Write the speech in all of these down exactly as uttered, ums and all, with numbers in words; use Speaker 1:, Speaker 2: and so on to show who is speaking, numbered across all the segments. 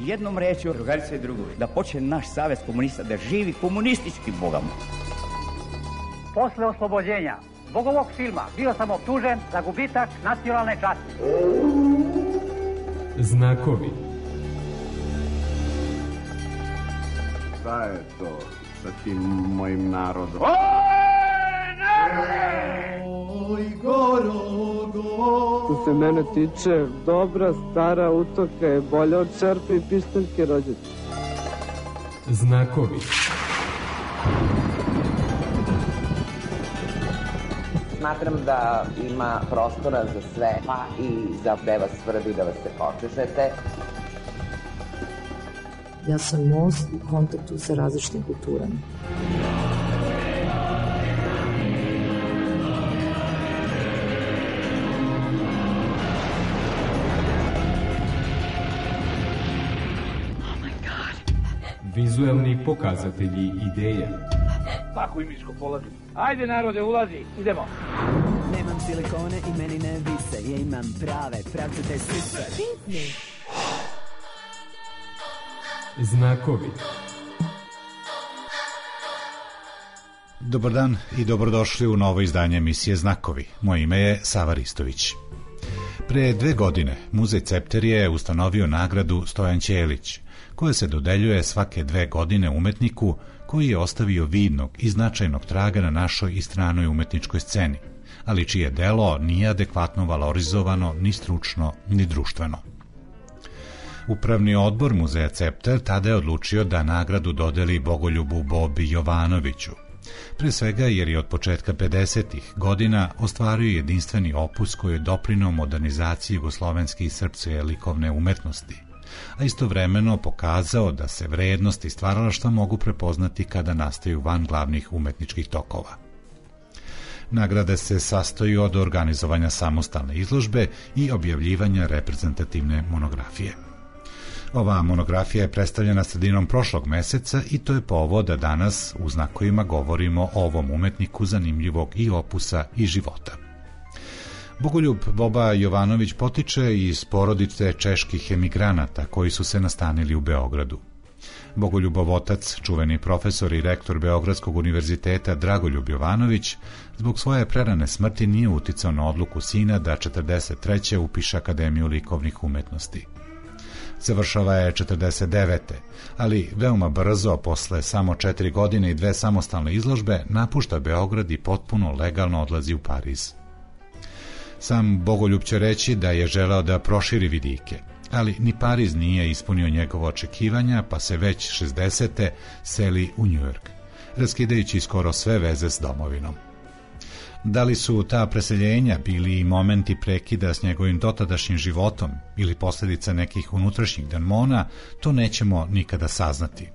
Speaker 1: jednom rečju, drugarice i drugovi, da počne naš savez komunista da živi komunistički bogamo.
Speaker 2: Posle oslobođenja zbog ovog filma bio sam optužen za gubitak nacionalne časti.
Speaker 3: Znakovi.
Speaker 4: Šta je to sa tim mojim narodom?
Speaker 2: Oj, narode!
Speaker 5: Oj, Gorogo!
Speaker 6: Što se mene tiče, dobra stara utoka je bolja od čerpe i pištaljke rođete.
Speaker 3: Znakovi.
Speaker 7: Smatram da ima prostora za sve, pa i za gde vas svrbi da vas se počešete.
Speaker 8: Ja sam most u kontaktu sa različitim kulturama.
Speaker 3: Vizuelni pokazatelji ideja.
Speaker 2: Tako im isko polazi. Ajde narode, ulazi, idemo.
Speaker 9: Nemam silikone i meni ne vise, ja imam prave, pravcate sise. Pitni.
Speaker 3: Znakovi.
Speaker 10: Dobar dan i dobrodošli u novo izdanje emisije Znakovi. Moje ime je Sava Ristović. Pre dve godine Muzej Cepter je ustanovio nagradu Stojan Ćelić, koja se dodeljuje svake dve godine umetniku koji je ostavio vidnog i značajnog traga na našoj i stranoj umetničkoj sceni, ali čije delo nije adekvatno valorizovano ni stručno ni društveno. Upravni odbor Muzeja Cepter tada je odlučio da nagradu dodeli Bogoljubu Bobi Jovanoviću, pre svega jer je od početka pedesetih godina ostvario jedinstveni opus koji je doprineo modernizaciji jugoslovenske i srpske likovne umetnosti, a istovremeno pokazao da se vrednosti stvaralaštva mogu prepoznati kada nastaju van glavnih umetničkih tokova. Nagrade se sastoji od organizovanja samostalne izložbe i objavljivanja reprezentativne monografije. Ova monografija je predstavljena sredinom prošlog meseca i to je povod da danas u Znakovima govorimo o ovom umetniku zanimljivog i opusa i života. Bogoljub Boba Jovanović potiče iz porodice čeških emigranata koji su se nastanili u Beogradu. Bogoljubov otac, čuveni profesor i rektor Beogradskog univerziteta Dragoljub Jovanović, zbog svoje prerane smrti nije uticao na odluku sina da četrdeset treće upiše Akademiju likovnih umetnosti. Završava je četrdeset devete ali veoma brzo, posle samo četiri godine i dve samostalne izložbe, napušta Beograd i potpuno legalno odlazi u Pariz. Sam Bogoljub će reći da je želeo da proširi vidike, ali ni Pariz nije ispunio njegovo očekivanja, pa se već šezdesete seli u Njujork, raskidajući skoro sve veze s domovinom. Da li su ta preseljenja bili i momenti prekida s njegovim dotadašnjim životom ili posljedica nekih unutrašnjih demona, to nećemo nikada saznati.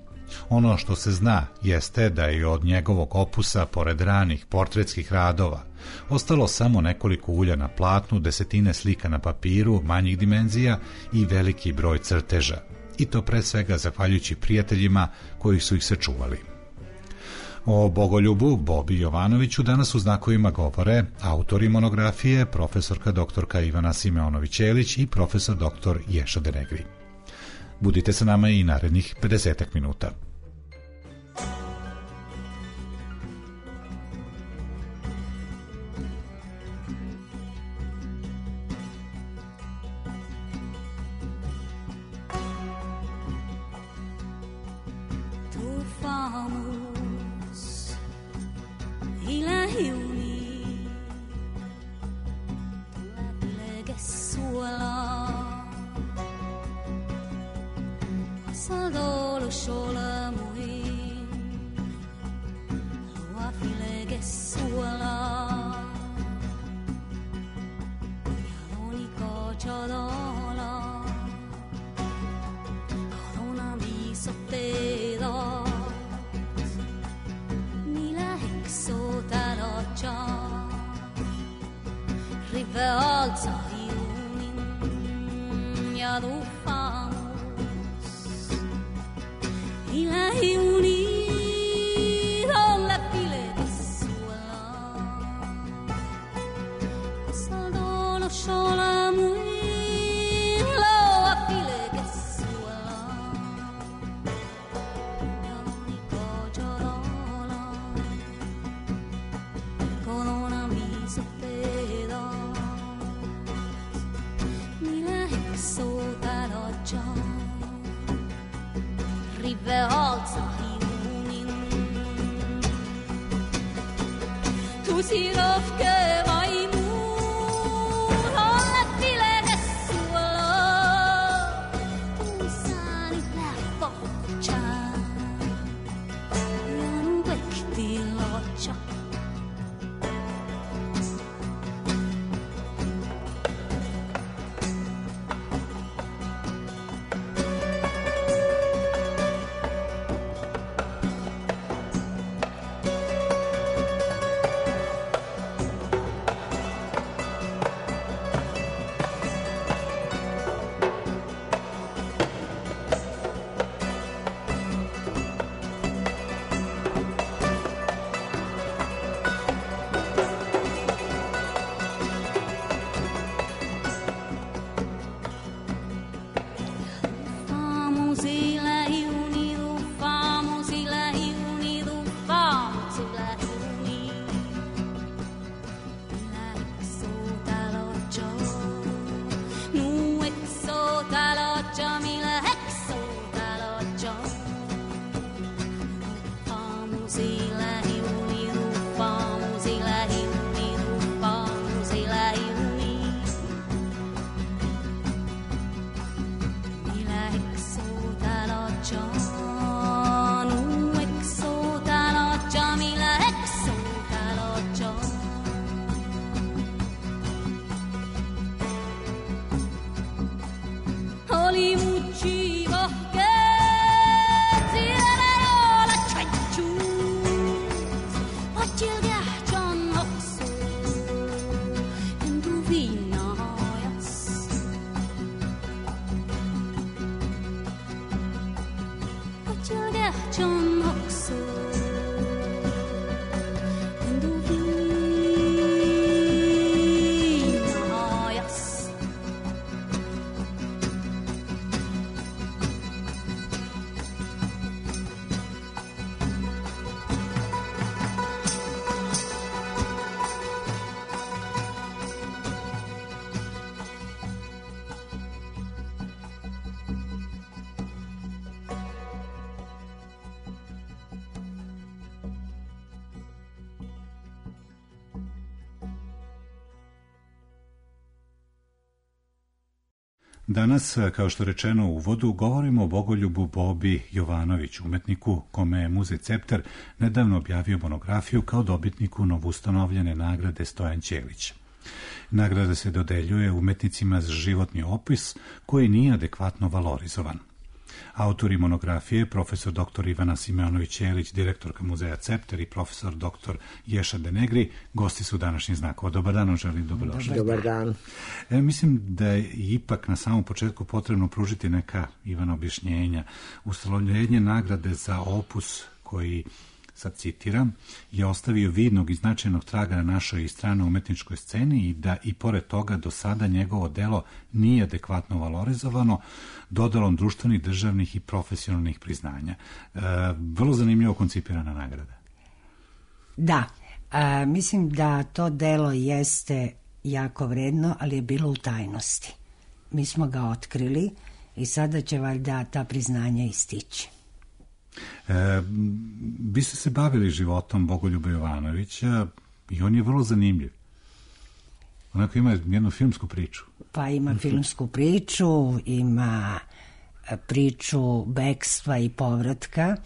Speaker 10: Ono što se zna jeste da je od njegovog opusa, pored ranih portretskih radova, ostalo samo nekoliko ulja na platnu, desetine slika na papiru manjih dimenzija i veliki broj crteža, i to pre svega zahvaljujući prijateljima koji su ih sačuvali. O Bogoljubu Bobi Jovanoviću danas u Znakovima govore autori monografije, profesorka doktorka Ivana Simeonović-Ćelić i profesor doktor Ješa Denegri. Budite sa nama i narednih pedesetak minuta.
Speaker 11: Sola muy lo a file che suela
Speaker 10: Danas, kao što rečeno u uvodu, govorimo o Bogoljubu Bobi Jovanoviću, umetniku kome je Muzej Cepter nedavno objavio monografiju kao dobitniku novustanovljene nagrade Stojan Ćelić. Nagrada se dodeljuje umetnicima za životni opis koji nije adekvatno valorizovan. Autori monografije, profesor doktor Ivana Simeonović-Ćelić, direktorka Muzeja Cepter i profesor doktor Ješa Denegri, gosti su današnjih znakova. Dobar dan, želim dobrodošli.
Speaker 11: Dobar dan.
Speaker 10: E, mislim da je ipak na samom početku potrebno pružiti neka, Ivana, objašnjenja. Ustanovljenje nagrade za opus koji, sad citiram, je ostavio vidnog i značajnog traga na našoj stranoj umetničkoj sceni i da i pored toga do sada njegovo delo nije adekvatno valorizovano dodalom društvenih, državnih i profesionalnih priznanja. E, vrlo zanimljivo koncipirana nagrada.
Speaker 11: Da, a, mislim da to delo jeste jako vredno, ali je bilo u tajnosti. Mi smo ga otkrili i sada će valjda ta priznanja istići.
Speaker 10: E, vi ste se bavili životom Bogoljuba Jovanovića i on je vrlo zanimljiv. Onako ima jednu filmsku priču.
Speaker 11: Pa ima filmsku priču, ima priču bekstva i povratka,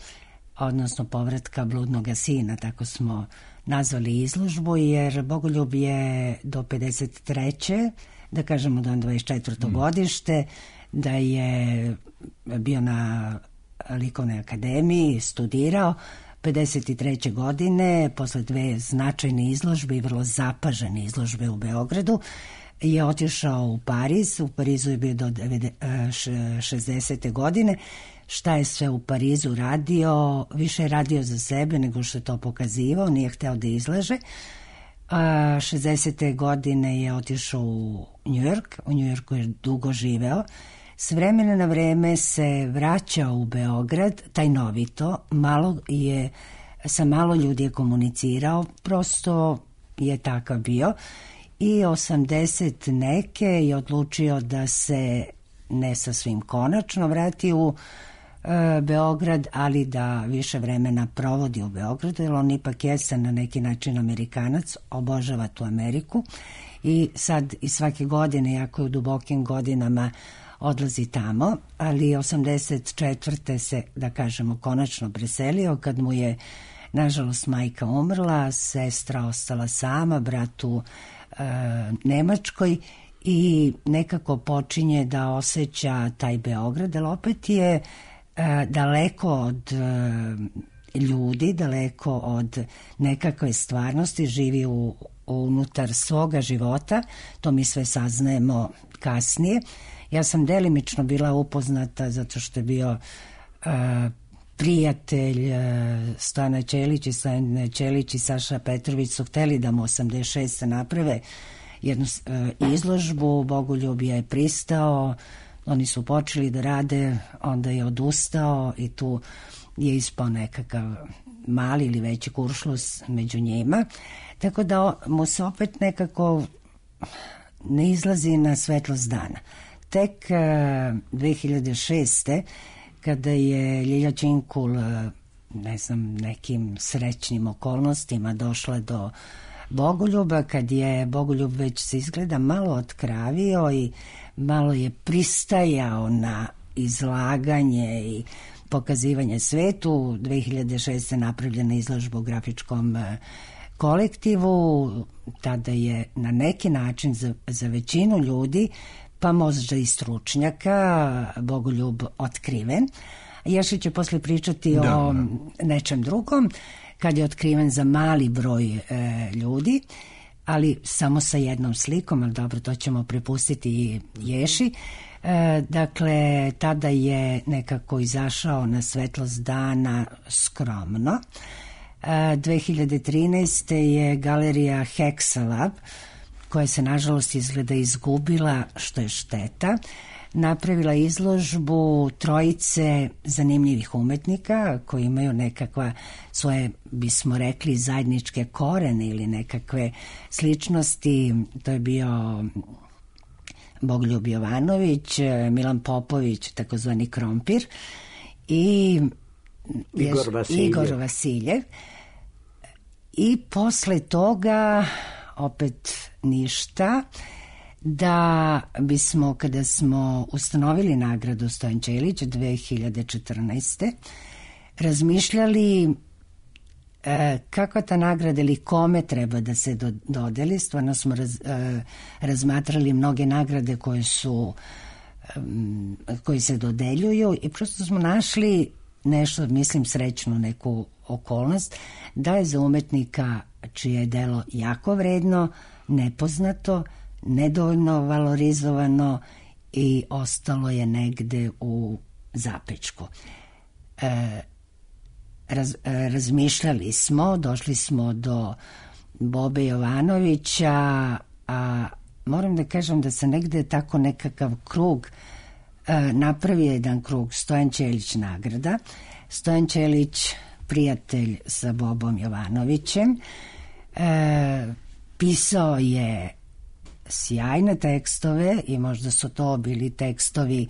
Speaker 11: odnosno povratka bludnoga sina, tako smo nazvali izložbu, jer Bogoljub je do pedeset treće da kažemo do dvadeset četvrto Mm. godište, da je bio na Likovnoj akademiji, studirao, pedeset treće godine, posle dve značajne izložbe i vrlo zapažene izložbe u Beogradu, je otišao u Pariz. U Parizu je bio do šezdesete godine. Šta je sve u Parizu radio? Više je radio za sebe nego što je to pokazivao, nije hteo da izlaže. šezdesete godine je otišao u Njujork, u Njujorku je dugo živeo. S vremena na vreme se vraćao u Beograd, tajnovito, malo je, sa malo ljudi je komunicirao, prosto je takav bio. I osamdeset neke je odlučio da se ne sa svim konačno vrati u Beograd, ali da više vremena provodi u Beogradu, jer on ipak jeste na neki način Amerikanac, obožava tu Ameriku i sad i svake godine, jako je u dubokim godinama, odlazi tamo, ali osamdeset četvrte se, da kažemo, konačno preselio kad mu je, nažalost, majka umrla, sestra ostala sama, brat u e, Nemačkoj i nekako počinje da osjeća taj Beograd, ali opet je e, daleko od e, ljudi, daleko od nekakve stvarnosti, živi u, unutar svoga života, to mi sve saznajemo kasnije. Ja sam delimično bila upoznata zato što je bio uh, prijatelj uh, Stojana Ćelić i Stojana Ćelić i Saša Petrović su hteli da mu osamdeset šeste naprave jednu uh, izložbu, Bogoljub je pristao, oni su počeli da rade, onda je odustao i tu je ispao nekakav mali ili veći kuršlus među njima, tako da mu se opet nekako ne izlazi na svetlost dana. Tek uh, dve hiljade šeste kada je Ljilja Činkul, uh, ne znam, nekim srećnim okolnostima došla do Bogoljuba, kad je Bogoljub već se izgleda malo otkravio i malo je pristajao na izlaganje i pokazivanje svetu, dve hiljade šeste napravljena izložba u grafičkom uh, kolektivu, tada je na neki način za, za većinu ljudi, pa možda i stručnjaka, Bogoljub otkriven. Ješi će posle pričati da, o da. nečem drugom, kad je otkriven za mali broj e, ljudi, ali samo sa jednom slikom, ali dobro, to ćemo prepustiti i Ješi. E, dakle, tada je nekako izašao na svetlost dana skromno. E, dve hiljade trinaeste je galerija Hexalab, koja se nažalost izgleda izgubila, što je šteta, napravila izložbu trojice zanimljivih umetnika koji imaju nekakva svoje, bismo rekli, zajedničke korene ili nekakve sličnosti. To je bio Bogoljub Jovanović, Milan Popović, takozvani Krompir, i
Speaker 12: Igor Vasiljev.
Speaker 11: Igor Vasiljev. I posle toga opet ništa, da bismo, kada smo ustanovili nagradu Stojan Ćelić dve hiljade četrnaeste. razmišljali e, kako ta nagrada ili kome treba da se do, dodeli. Stvarno smo raz, e, razmatrali mnoge nagrade koje su e, koji se dodeljuju i prosto smo našli nešto, mislim, srećnu neku okolnost, da je za umetnika čije je delo jako vredno, nepoznato, nedovoljno valorizovano i ostalo je negde u zapečku. E, raz, e, razmišljali smo, došli smo do Bobe Jovanovića, a moram da kažem da se negde tako nekakav krug e, napravio jedan krug Stojan Ćelić nagrada. Stojan Ćelić prijatelj sa Bobom Jovanovićem, e, pisao je sjajne tekstove i možda su to bili tekstovi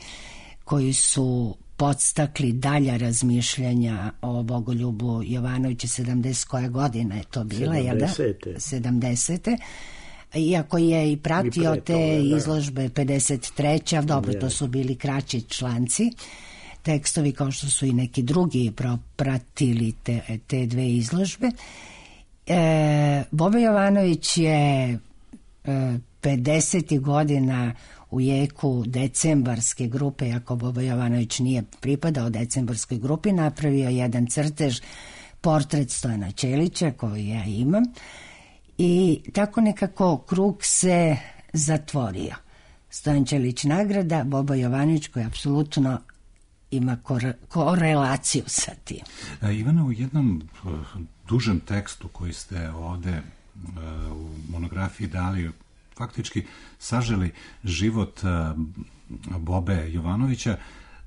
Speaker 11: koji su podstakli dalja razmišljanja o Bogoljubu Jovanoviću. sedamdeset koja godina je to bila, jel da? sedamdesete. Iako je i pratio I te toga, izložbe pedeset treće. Dobro, to su bili kraći članci. Tekstovi kao što su i neki drugi pratili te, te dve izložbe. E, Boba Jovanović je e, pedesetih godina u jeku decembarske grupe, ako Boba Jovanović nije pripadao decembarskoj grupi, napravio jedan crtež, portret Stojana Ćelića koji ja imam, i tako nekako krug se zatvorio. Stojan Ćelić nagrada, Boba Jovanović koji apsolutno ima kore, korelaciju sa tim.
Speaker 10: A, Ivana, u jednom uh, dužem tekstu koji ste ovde uh, u monografiji dali, faktički saželi život uh, Bobe Jovanovića,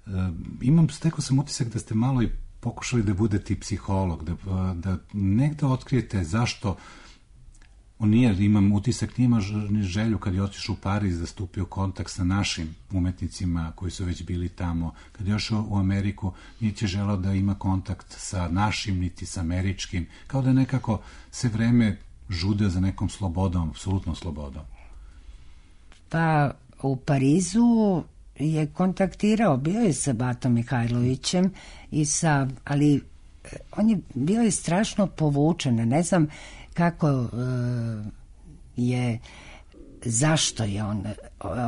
Speaker 10: uh, imam, stekao sam utisak da ste malo i pokušali da budete i psiholog, da, uh, da negde otkrijete zašto On nije, imam utisak, nima želju kad je otišao u Pariz da stupio kontakt sa našim umetnicima koji su već bili tamo. Kad je ošao u Ameriku, nije će želao da ima kontakt sa našim, niti sa američkim. Kao da nekako se vreme žude za nekom slobodom, apsolutnom slobodom.
Speaker 11: Pa u Parizu je kontaktirao, bio je sa Batom Mihajlovićem i sa, ali on je bio je strašno povučen, ne znam kako uh, je, zašto je on,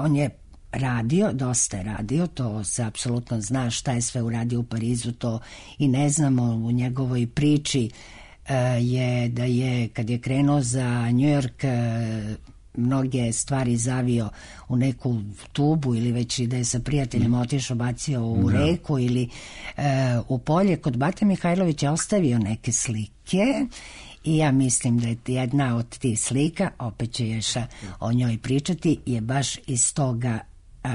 Speaker 11: on je radio, dosta je radio, to se apsolutno zna šta je sve uradio u Parizu, to i ne znamo u njegovoj priči uh, je da je, kad je krenuo za New York, uh, mnoge stvari zavio u neku tubu ili već i da je sa prijateljem otišao, bacio u da. reku ili e, u polje. Kod Bate Mihajlovića je ostavio neke slike i ja mislim da je jedna od tih slika, opet će Ješa o njoj pričati, je baš iz toga e,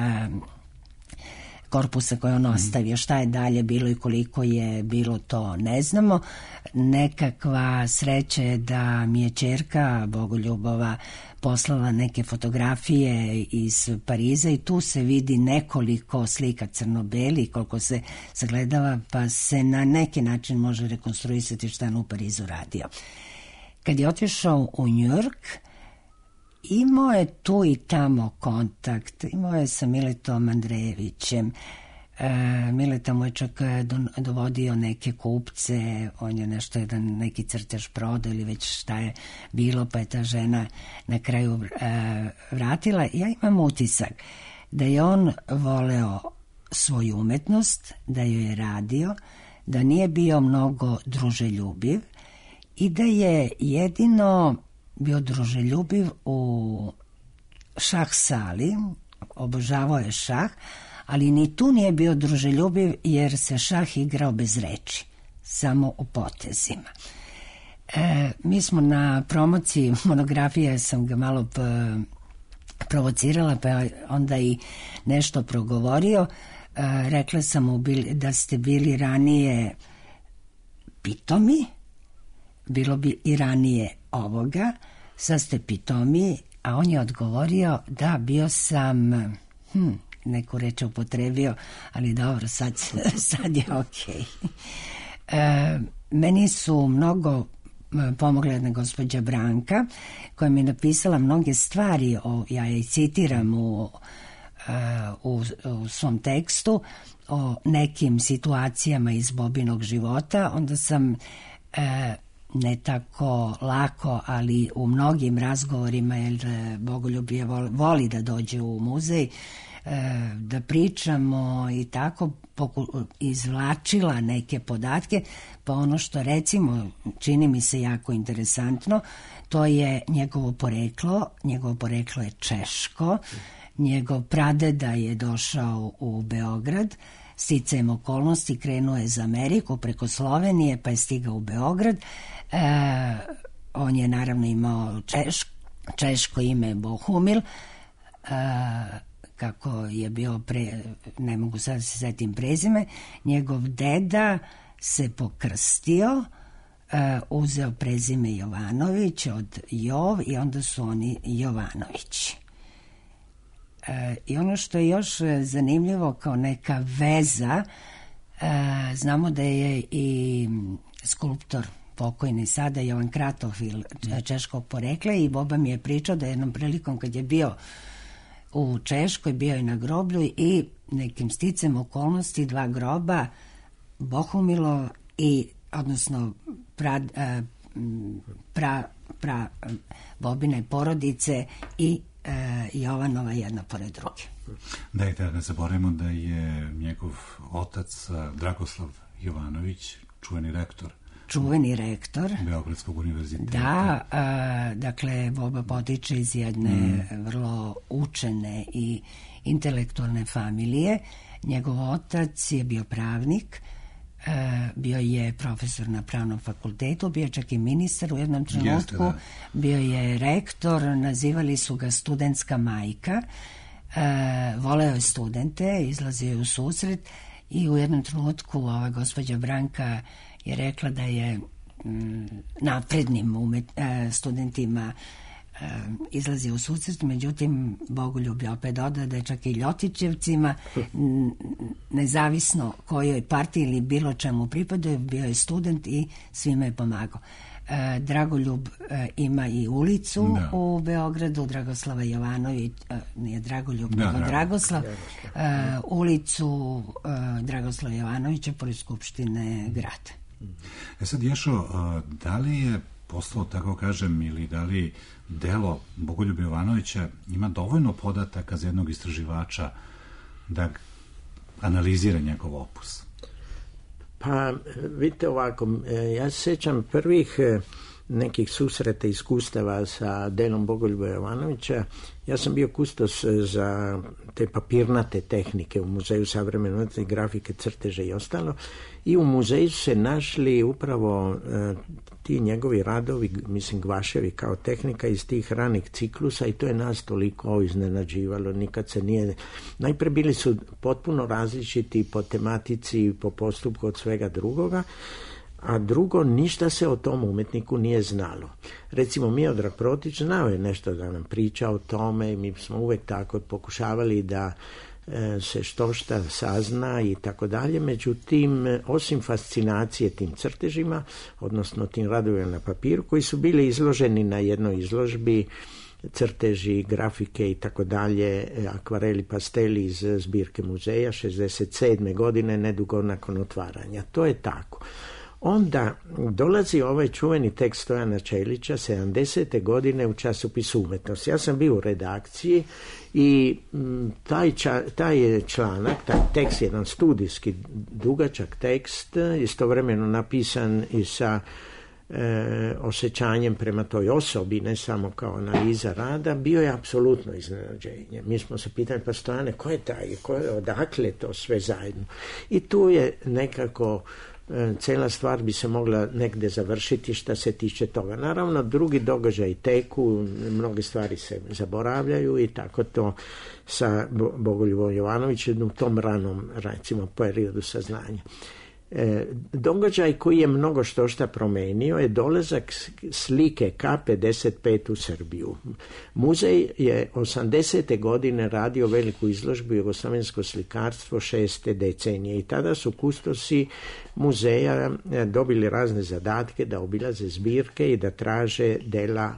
Speaker 11: korpusa koje on ostavio. Šta je dalje bilo i koliko je bilo, to ne znamo. Nekakva sreća je da mi je ćerka Bogoljubova poslala neke fotografije iz Pariza i tu se vidi nekoliko slika crno-beli, koliko se sagledava, pa se na neki način može rekonstruisati šta on u Parizu radio. Kad je otišao u New York, imao je tu i tamo kontakt, imao je sa Miletom Andrejevićem. E, Mileta mu je čak dovodio neke kupce, on je nešto jedan neki crtež prodao ili već šta je bilo, pa je ta žena na kraju e, vratila. Ja imam utisak da je on voleo svoju umetnost, da joj je radio, da nije bio mnogo druželjubiv i da je jedino bio druželjubiv u šah sali, obožavao je šah, ali ni tu nije bio druželjubiv jer se šah igrao bez reči, samo u potezima. E, mi smo na promociji monografije, sam ga malo p- provocirala, pa onda i nešto progovorio. E, rekla sam mu da ste bili ranije pitomi, bilo bi i ranije ovoga, sad ste pitomi, a on je odgovorio da bio sam, hm, neku reč upotrebio, ali dobro, sad, sad je okej. E, meni su mnogo pomogla jedna gospođa Branka, koja mi je napisala mnoge stvari, o, ja je citiram u, u, u svom tekstu, o nekim situacijama iz Bobinog života. Onda sam e, ne tako lako, ali u mnogim razgovorima, jer Bogoljub je voli, voli da dođe u muzej, da pričamo i tako izvlačila neke podatke, pa ono što recimo čini mi se jako interesantno, to je njegovo poreklo. Njegovo poreklo je češko, njegov pradeda je došao u Beograd, sticajem okolnosti krenuo je za Ameriku preko Slovenije, pa je stigao u Beograd. E, on je naravno imao češko, češko ime Bohumil, e, kako je bio pre, ne mogu sad se setim prezime, njegov deda se pokrstio, uh, uzeo prezime Jovanović od Jov i onda su oni Jovanovići. Uh, I ono što je još zanimljivo kao neka veza, uh, znamo da je i skulptor pokojni sada Jovan Kratofil češkog porekla i Boba mi je pričao da jednom prilikom kad je bio u Češkoj, bio je na groblju i nekim sticem okolnosti dva groba, Bohumilo i, odnosno pra, pra, pra Bobine porodice i e, Jovanova jedna pored druge.
Speaker 10: Dajte da ne zaboravimo da je njegov otac Dragoslav Jovanović, čuveni rektor
Speaker 11: čuveni rektor
Speaker 10: Beogradskog univerziteta.
Speaker 11: Da, a, dakle, Boba potiče iz jedne mm. vrlo učene i intelektualne familije. Njegov otac je bio pravnik, a, bio je profesor na pravnom fakultetu, bio čak i ministar u jednom trenutku, Jeste, da. bio je rektor, nazivali su ga studentska majka, a, voleo je studente, izlazio je u susret i u jednom trenutku ova gospođa Branka je rekla da je m, naprednim umet, e, studentima izlazi u susret, međutim Bogoljub je opet dodao da je čak i Ljotićevcima, nezavisno kojoj partiji ili bilo čemu pripadaju, bio je student i svima je pomagao. Dragoljub ima i ulicu da. u Beogradu, Dragoslava Jovanović, nije Dragoljub, da, nego Dragoslav, da. ulicu Dragoslava Jovanovića pored Skupštine grada.
Speaker 10: E sad, Ješo, da li je postalo, tako kažem, ili da li delo Bogoljuba Jovanovića ima dovoljno podataka za jednog istraživača da analizira njegov opus?
Speaker 12: Pa, vidite ovako, ja se sjećam prvih nekih susreta, iskustava sa delom Bogoljuba Jovanovića. Ja sam bio kustos za te papirnate tehnike u Muzeju savremene umetnosti, grafike, crteže i ostalo. I u muzeju su se našli upravo e, ti njegovi radovi, mislim Gvaševi kao tehnika iz tih ranih ciklusa, i to je nas toliko iznenađivalo. Nikad se nije... Najpre bili su potpuno različiti po tematici, po postupku od svega drugoga, a drugo, ništa se o tom umetniku nije znalo. Recimo, Miodrag Protić znao je nešto da nam priča o tome i mi smo uvek tako pokušavali da e, se što šta sazna i tako dalje. Međutim, osim fascinacije tim crtežima, odnosno tim radovima na papiru, koji su bili izloženi na jednoj izložbi, crteži, grafike i tako dalje, akvareli, pasteli iz zbirke muzeja šezdeset sedme godine, nedugo nakon otvaranja. To je tako. Onda dolazi ovaj čuveni tekst Stojana Čelića sedamdesete godine u časopisu Umetnost. Ja sam bio u redakciji i taj, ča, taj je članak, taj tekst, jedan studijski dugačak tekst, istovremeno napisan i sa e, osjećanjem prema toj osobi, ne samo kao analiza rada, bio je apsolutno iznenađenje. Mi smo se pitali, pa Stojane, ko je taj, ko je, odakle to sve zajedno? I tu je nekako cijela stvar bi se mogla negde završiti šta se tiče toga. Naravno, drugi događaj teku, mnoge stvari se zaboravljaju i tako to sa Bogoljubom Jovanovićem u tom ranom, recimo, periodu saznanja. E, događaj koji je mnogo što šta promenio je dolazak slike K pedeset pet u Srbiju. Muzej je osamdesete godine radio veliku izložbu Jugoslavensko slikarstvo šeste decenije i tada su kustosi muzeja dobili razne zadatke da obilaze zbirke i da traže dela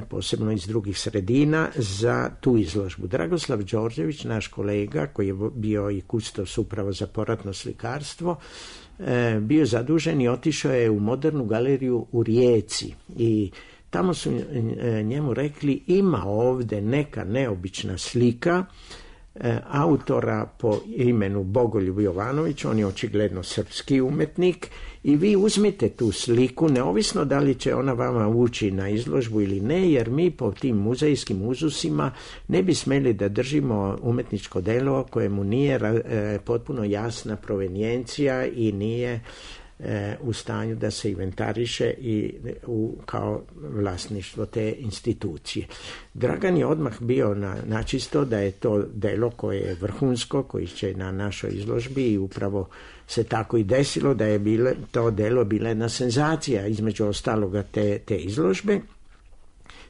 Speaker 12: posebno iz drugih sredina za tu izložbu. Dragoslav Đorđević, naš kolega koji je bio i kustos upravo za poratno slikarstvo, bio je zadužen i otišao je u Modernu galeriju u Rijeci i tamo su njemu rekli, ima ovde neka neobična slika autora po imenu Bogoljub Jovanović, on je očigledno srpski umetnik i vi uzmite tu sliku, neovisno da li će ona vama ući na izložbu ili ne, jer mi po tim muzejskim uzusima ne bi smeli da držimo umetničko delo kojemu nije e, potpuno jasna provenijencija i nije e, u stanju da se inventariše i u, kao vlasništvo te institucije. Dragan je odmah bio na, načisto da je to delo koje je vrhunsko, koji će na našoj izložbi i upravo se tako i desilo da je bile, to delo bila jedna senzacija između ostaloga te, te izložbe.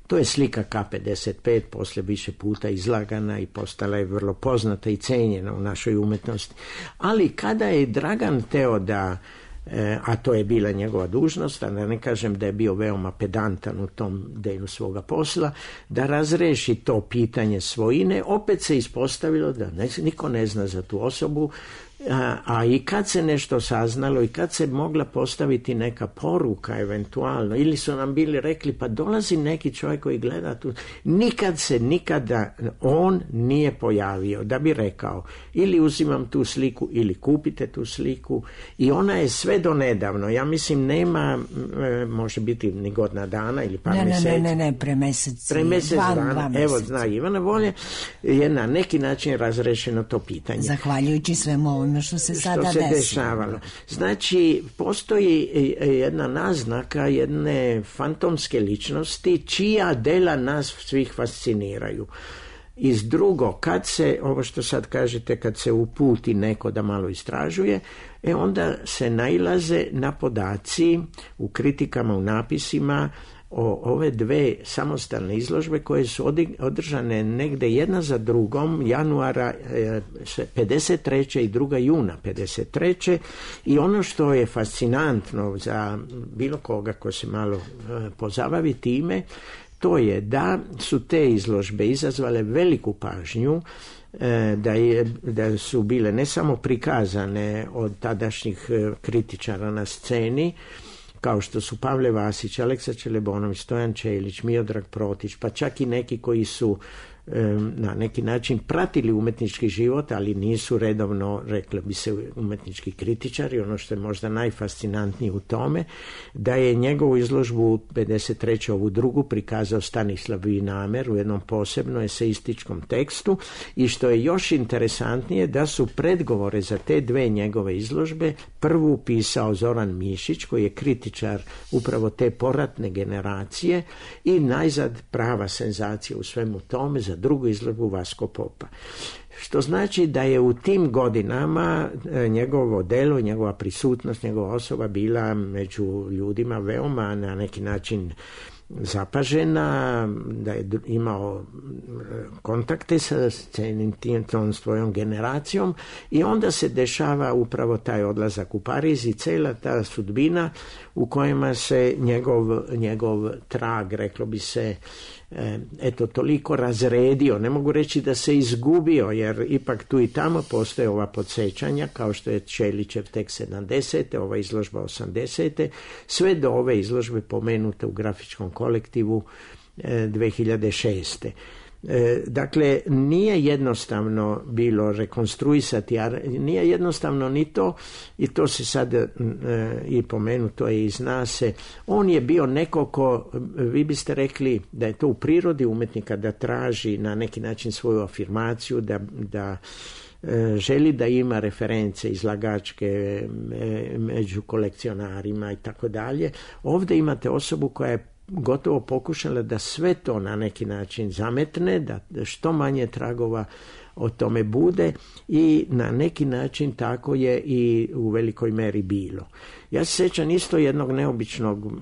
Speaker 12: To je slika K pedeset pet, posle više puta izlagana i postala je vrlo poznata i cenjena u našoj umetnosti. Ali kada je Dragan teo da, a to je bila njegova dužnost, a da ne kažem da je bio veoma pedantan u tom delu svoga posla, da razreši to pitanje svojine, opet se ispostavilo da ne, niko ne zna za tu osobu, A, a i kad se nešto saznalo i kad se mogla postaviti neka poruka eventualno, ili su nam bili rekli pa dolazi neki čovjek koji gleda tu, nikad se nikada on nije pojavio da bi rekao ili uzimam tu sliku ili kupite tu sliku, i ona je sve do nedavno, ja mislim nema, može biti ni godina dana ili par
Speaker 11: ne,
Speaker 12: mjeseci.
Speaker 11: Ne, ne, ne, pre mesec,
Speaker 12: pre mesec
Speaker 11: dva,
Speaker 12: dana,
Speaker 11: dva
Speaker 12: evo zna Ivana Volje, je na neki način razrešeno to pitanje.
Speaker 11: Zahvaljujući svemu ovome što se sada
Speaker 12: što se
Speaker 11: desilo.
Speaker 12: dešavalo. Znači, postoji jedna naznaka jedne fantomske ličnosti čija dela nas svih fasciniraju. Iz drugo, kad se, ovo što sad kažete, kad se uputi neko da malo istražuje, e onda se nailaze na podaci u kritikama, u napisima o ove dve samostalne izložbe koje su održane negde jedna za drugom januara pedeset treće i druga juna pedeset treće i ono što je fascinantno za bilo koga ko se malo pozabavi time, to je da su te izložbe izazvale veliku pažnju, da, je, da su bile ne samo prikazane od tadašnjih kritičara na sceni, kao što su Pavle Vasić, Aleksa Čelebonović, Stojan Čelić, Miodrag Protić, pa čak i neki koji su na neki način pratili umetnički život, ali nisu redovno, reklo bi se, umetnički kritičari. Ono što je možda najfascinantnije u tome, da je njegovu izložbu pedeset treće ovu drugu prikazao Stanislav Vinamer u jednom posebnom eseističkom tekstu i što je još interesantnije, da su predgovore za te dve njegove izložbe prvu pisao Zoran Mišić, koji je kritičar upravo te poratne generacije, i najzad prava senzacija u svemu tome za drugu izložbu Vasko Popa. Što znači da je u tim godinama njegovo delo, njegova prisutnost, njegova osoba bila među ljudima veoma na neki način zapažena, da je imao kontakte sa celim tim, tom svojom generacijom, i onda se dešava upravo taj odlazak u Pariz i cela ta sudbina u kojima se njegov, njegov trag, reklo bi se, eto, toliko razredio, ne mogu reći da se izgubio, jer ipak tu i tamo postoje ova podsjećanja, kao što je Čelićev tek sedamdesete, ova izložba osamdesete, sve do ove izložbe pomenute u grafičkom kolektivu dve hiljade šeste. Dakle, nije jednostavno bilo rekonstruisati, a nije jednostavno ni to, i to se sad e, i pomenuto je i zna se, on je bio neko ko, vi biste rekli da je to u prirodi umetnika da traži na neki način svoju afirmaciju, da, da e, želi da ima reference izlagačke e, među kolekcionarima i tako dalje. Ovdje imate osobu koja je gotovo pokušala da sve to na neki način zametne, da što manje tragova o tome bude, i na neki način tako je i u velikoj meri bilo. Ja se sjećam isto jednog neobičnog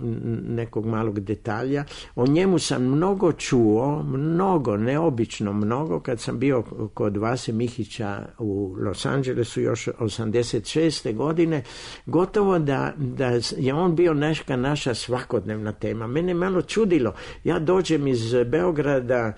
Speaker 12: nekog malog detalja, o njemu sam mnogo čuo, mnogo, neobično mnogo, kad sam bio kod Vase Mihića u Los Angelesu još osamdeset šeste godine, gotovo da, da je on bio neka naša svakodnevna tema. Mene malo čudilo, ja dođem iz Beograda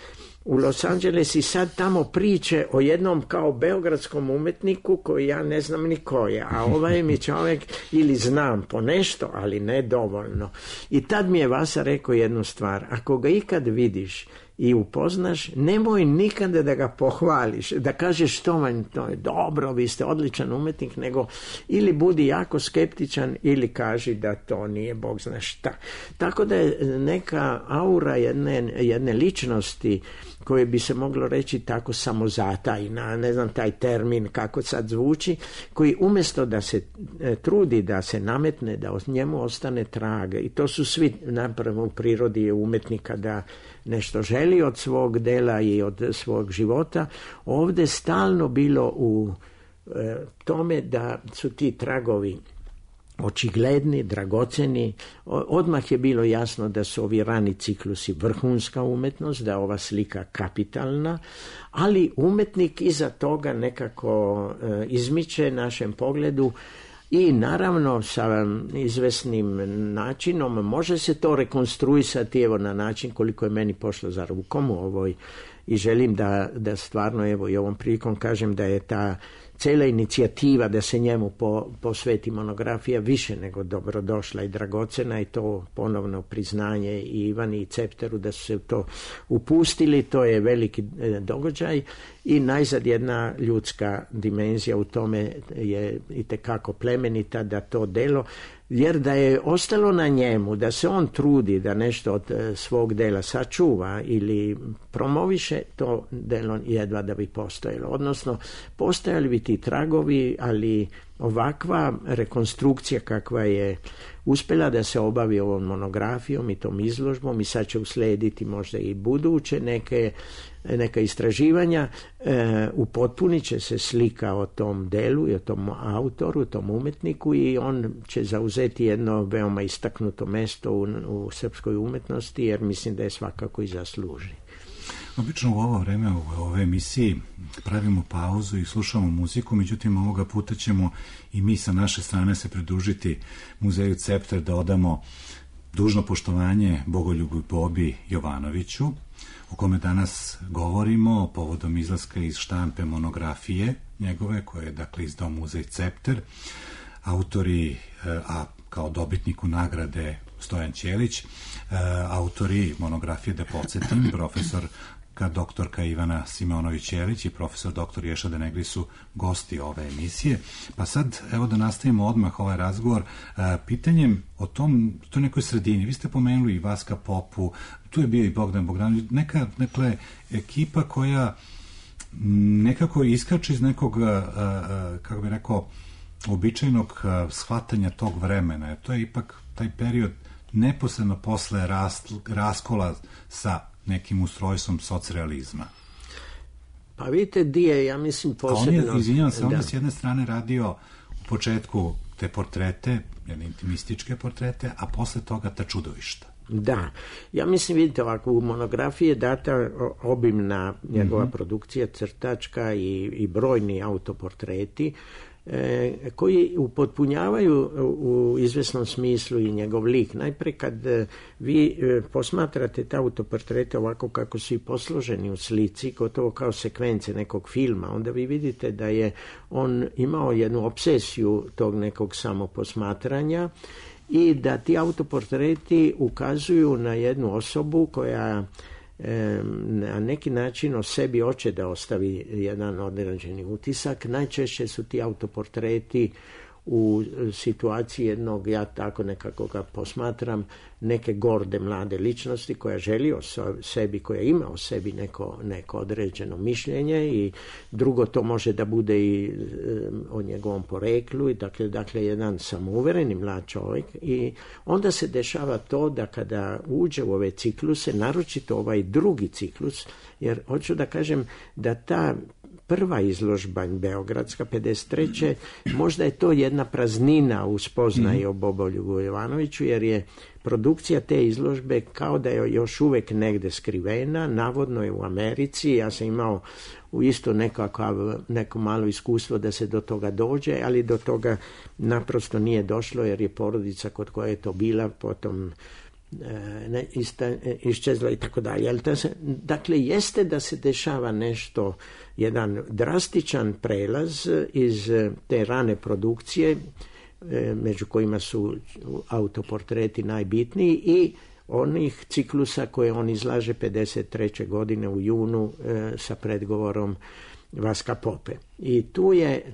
Speaker 12: u Los Angeles i sad tamo priče o jednom kao beogradskom umetniku koji ja ne znam ni ko je, a ovaj mi čovjek ili znam po nešto, ali ne dovoljno. I tad mi je Vasa rekao jednu stvar, ako ga ikad vidiš i upoznaš, nemoj nikada da ga pohvališ, da kažeš to vam to je dobro, vi ste odličan umetnik, nego ili budi jako skeptičan ili kaži da to nije Bog zna šta. Tako da je neka aura jedne, jedne ličnosti koje bi se moglo reći tako samozatajna, ne znam taj termin kako sad zvuči, koji umjesto da se e, trudi da se nametne, da od njemu ostane trag, i to su svi napravo u prirodi umetnika, da nešto želi od svog dela i od svog života, ovdje stalno bilo u e, tome da su ti tragovi očigledni, dragoceni. Odmah je bilo jasno da su ovi rani ciklusi vrhunska umetnost, da je ova slika kapitalna, ali umetnik iza toga nekako e, izmiče našem pogledu, i naravno sa izvesnim načinom može se to rekonstruisati, evo na način koliko je meni pošlo za rukom u ovoj, i želim da, da stvarno evo i ovom prilikom kažem da je ta cijela inicijativa da se njemu po, posveti monografija više nego dobrodošla i dragocena, i to ponovno priznanje i Ivani i Cepteru da su se u to upustili, to je veliki e, događaj, i najzad jedna ljudska dimenzija u tome je itekako plemenita, da to delo, jer da je ostalo na njemu, da se on trudi da nešto od svog dela sačuva ili promoviše, to delo jedva da bi postojalo. Odnosno, postojali bi ti tragovi, ali ovakva rekonstrukcija kakva je uspjela da se obavi ovom monografijom i tom izložbom i sad će uslijediti možda i buduće neke, neka istraživanja, e, upotpunit će se slika o tom delu i o tom autoru, tom umetniku i on će zauzeti jedno veoma istaknuto mesto u, u srpskoj umetnosti jer mislim da je svakako i zasluži.
Speaker 10: Obično u ovo vreme u ove emisiji pravimo pauzu i slušamo muziku, međutim ovoga puta ćemo i mi sa naše strane se pridružiti Muzeju Cepter da odamo dužno poštovanje Bogoljubu Bobi Jovanoviću, o kome danas govorimo povodom izlaska iz štampe monografije njegove koje je dakle izdao Muzej Cepter. Autori, a kao dobitniku nagrade Stojan Ćelić, autori monografije, da podsjetim, profesor ka doktorka Ivana Simonović-Ćelić i profesor doktor Ješa Denegli su gosti ove emisije. Pa sad, evo da nastavimo odmah ovaj razgovor pitanjem o tom, toj nekoj sredini. Vi ste pomenuli i Vaska Popu, tu je bio i Bogdan Bogdanović, neka, nekle, ekipa koja nekako iskače iz nekog, kako bi rekao, običajnog shvatanja tog vremena. To je ipak taj period neposredno posle rast, raskola sa nekim ustrojstvom socrealizma.
Speaker 12: Pa vidite, Dije, ja mislim posebno...
Speaker 10: A on je, izvinjavam se, on je s jedne strane radio u početku te portrete, jedne intimističke portrete, a posle toga ta čudovišta.
Speaker 12: Da, ja mislim, vidite, ovako, u monografiji je data obimna njegova mm-hmm. produkcija, crtačka i, i brojni autoportreti, E, koji upotpunjavaju u izvesnom smislu i njegov lik. Najpre kad e, vi e, posmatrate te autoportrete ovako kako su i posloženi u slici, gotovo kao sekvence nekog filma, onda vi vidite da je on imao jednu obsesiju tog nekog samoposmatranja i da ti autoportreti ukazuju na jednu osobu koja na neki način o sebi hoće da ostavi jedan određeni utisak. Najčešće su ti autoportreti u situaciji jednog, ja tako nekako ga posmatram, neke gorde mlade ličnosti koja želi o sebi, koja ima o sebi neko, neko određeno mišljenje i drugo to može da bude i o njegovom poreklu i dakle, dakle jedan samouvereni mlad čovjek i onda se dešava to da kada uđe u ove cikluse, naročito ovaj drugi ciklus, jer hoću da kažem da ta prva izložba beogradska pedeset treće možda je to jedna praznina u spoznaji o Bogoljubu Jovanoviću, jer je produkcija te izložbe kao da je još uvek negde skrivena, navodno je u Americi, ja sam imao u isto nekakav, neko malo iskustvo da se do toga dođe, ali do toga naprosto nije došlo jer je porodica kod koje je to bila potom ne, ista, iščezla i tako dalje. Dakle, jeste da se dešava nešto, jedan drastičan prelaz iz te rane produkcije, među kojima su autoportreti najbitniji i onih ciklusa koje on izlaže pedeset treće godine u junu sa predgovorom Vaska Pope. I tu je,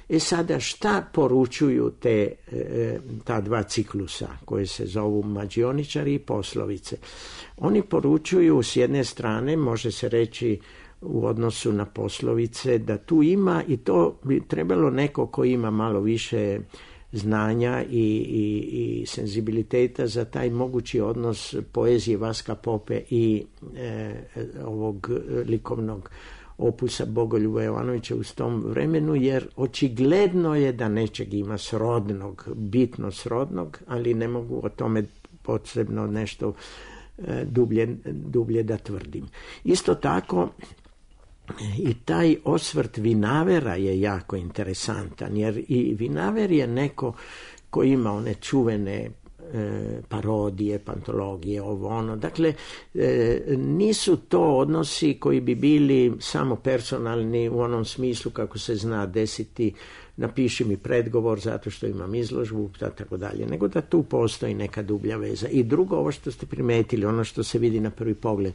Speaker 12: e sada šta poručuju te, ta dva ciklusa koje se zovu Mađioničari i Poslovice? Oni poručuju s jedne strane, može se reći u odnosu na Poslovice, da tu ima i to bi trebalo neko ko ima malo više znanja i, i, i senzibiliteta za taj mogući odnos poezije Vaska Pope i e, ovog likovnog opusa Bogoljuba Jovanovića u tom vremenu, jer očigledno je da nečeg ima srodnog, bitno srodnog, ali ne mogu o tome posebno nešto e, dublje, dublje da tvrdim. Isto tako i taj osvrt Vinavera je jako interesantan, jer i Vinaver je neko koji ima one čuvene e, parodije, pantologije, ovo ono. Dakle, e, nisu to odnosi koji bi bili samo personalni u onom smislu kako se zna desiti napiši mi predgovor zato što imam izložbu, tako dalje, nego da tu postoji neka dublja veza. I drugo, ovo što ste primetili, ono što se vidi na prvi pogled,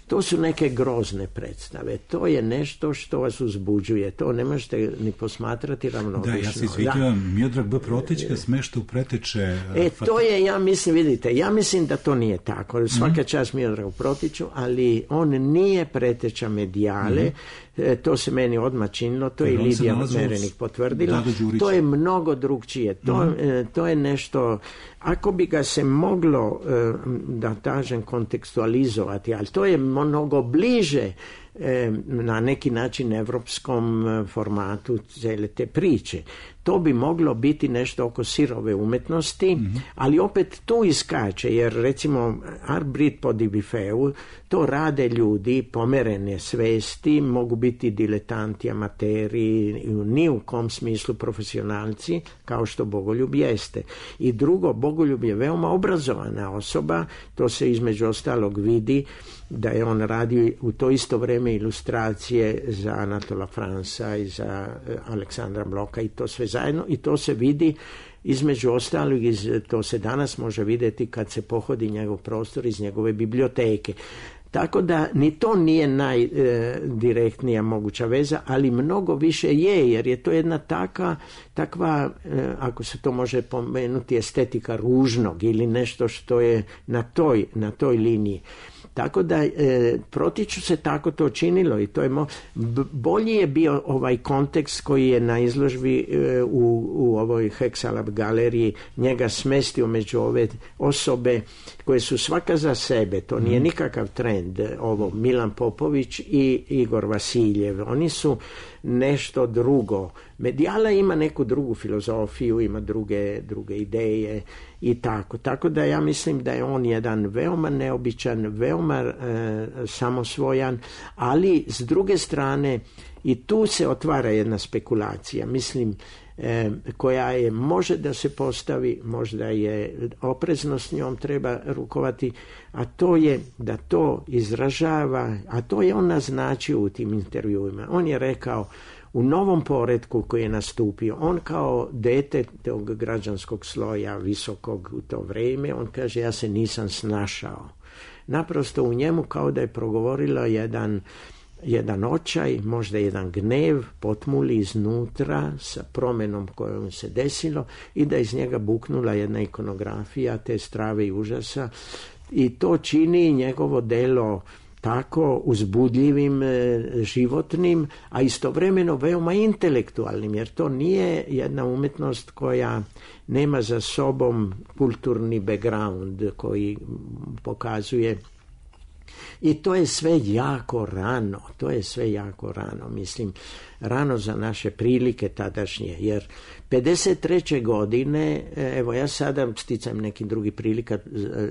Speaker 12: to su neke grozne predstave. To je nešto što vas uzbuđuje. To ne možete ni posmatrati ravnodušno.
Speaker 10: Da, ja se izvinjavam, Miodrag B. Protićka smešta u preteče...
Speaker 12: E, to je, ja mislim, vidite, ja mislim da to nije tako. Svaka čast Miodragu Protiću, ali on nije preteča medijale. Mm-hmm. E, to se meni odmah činilo. To je i Lidija Merenik potvrdila. To je mnogo drugčije. To, mm-hmm. e, to je nešto... Ako bi ga se moglo, e, da kažem, kontekstualizovati, ali to je mnogo bliže e, na neki način evropskom formatu cijele te priče. To bi moglo biti nešto oko sirove umetnosti, mm-hmm. ali opet tu iskače, jer recimo Art Brit po Dibifeu, to rade ljudi pomerene svesti, mogu biti diletanti, amateri, ni u kom smislu profesionalci, kao što Bogoljub jeste. I drugo, Bogoljub je veoma obrazovana osoba, to se između ostalog vidi da je on radio u to isto vrijeme ilustracije za Anatola Fransa i za Aleksandra Bloka i to sve zajedno, i to se vidi između ostalog, iz, to se danas može vidjeti kad se pohodi njegov prostor iz njegove biblioteke. Tako da ni to nije najdirektnija moguća veza, ali mnogo više je, jer je to jedna taka, takva, e, ako se to može pomenuti, estetika ružnog ili nešto što je na toj, na toj liniji. Tako da e, Protiću se tako to činilo i to je mo... bolji je bio ovaj kontekst koji je na izložbi e, u, u ovoj Hexalab galeriji njega smestio među ove osobe koje su svaka za sebe, to nije nikakav trend, ovo Milan Popović i Igor Vasiljev, oni su nešto drugo. Medijala ima neku drugu filozofiju, ima druge, druge ideje i tako. Tako da ja mislim da je on jedan veoma neobičan, veoma e, samosvojan, ali s druge strane i tu se otvara jedna spekulacija, mislim, e, koja je, može da se postavi, možda je oprezno s njom treba rukovati, a to je da to izražava, a to je on naznačio u tim intervjuima. On je rekao, u novom poretku koji je nastupio, on kao dete tog građanskog sloja visokog u to vrijeme, on kaže, ja se nisam snašao. Naprosto u njemu kao da je progovorila jedan, jedan očaj, možda jedan gnev, potmuli iznutra sa promjenom kojom se desilo i da iz njega buknula jedna ikonografija te strave i užasa i to čini njegovo delo tako uzbudljivim, životnim, a istovremeno veoma intelektualnim, jer to nije jedna umjetnost koja nema za sobom kulturni background koji pokazuje. I to je sve jako rano, to je sve jako rano, mislim, rano za naše prilike tadašnje, jer pedeset treće godine, evo ja sada sticam neki drugi prilika,